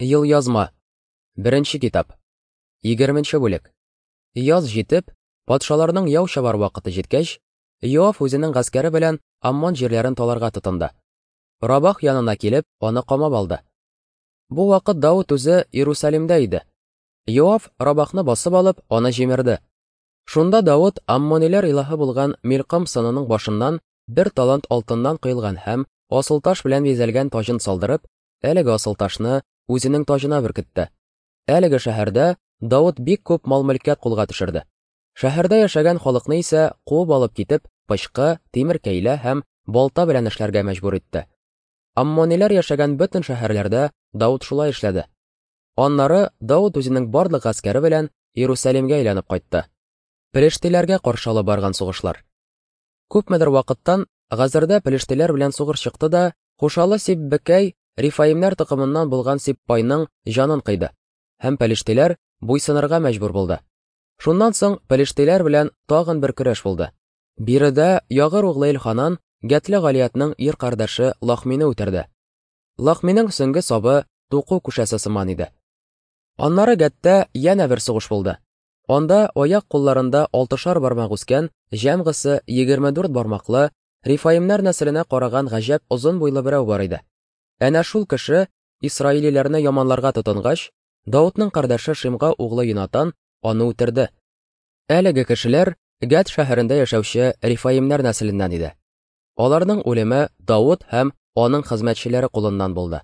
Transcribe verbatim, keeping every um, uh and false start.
Елъязма. Беренче китап. Егерменче бүлек. Яз җитеп, патшаларның яу чабар вакыты җиткәч, Йоав үзенең гаскәре белән Аммон җирләрен таларга тотынды. Рабах янына килеп, аны камап алды. Бу вакыт Давыт үзе Иерусалимдә иде. Йоав Рабахны басып алып, аны җимерде. Шунда Давыт аммониләр илаһы булган Милкам сынының башыннан бер талант алтыннан коелган һәм асылташ белән бизәлгән таҗын салдырып, әлеге асылташны үзенең таҗына беркетте. Әлеге шәһәрдә Давыт бик күп мал-мөлкәт кулга төшерде. Шәһәрдә яшәгән халыкны исә куып алып китеп, пычкы, тимер кәйлә һәм балта белән эшләргә мәҗбүр итте. Аммониләр яшәгән бөтен шәһәрләрдә Давыт шулай эшләде. Аннары Давыт үзенең барлык гаскәре белән Иерусалимгә әйләнеп кайтты. Пелештиләргә каршы алып барган сугышлар. Күпмедер вакыттан Газырда пелештиләр белән сугыш чыкты да, Хушалы Сиббекәй Рифаимнәр токымыннан булган Сиппайның җанын кыйды, һәм пелештиләр буйсынырга мәҗбүр булды. Шуннан соң пелештиләр белән тагын бер көрәш булды. Биредә Ягыр углы Элханан Гәтле Галиятның ир кардәше Лахмине үтерде. Лахминың сөңге сабы туку күшәсе сыман иде. Аннары Гәттә янә бер сугыш булды. Анда аяк кулларында алтышар бармак үскән, җәмгысы егерме дүрт бармаклы, Рифаимнәр нәселенә караган гаҗәп озын буйлы берәү бар иде. Әнә шул кеше исраилиләрне яманларга тотынгач, Давытның кардәше Шимга углы Йонатан аны үтерде. Әлеге кешеләр Гәт шәһәрендә яшәүче Рифаимнәр нәселеннән иде. Аларның үлеме Давыт һәм аның хезмәтчеләре кулыннан булды.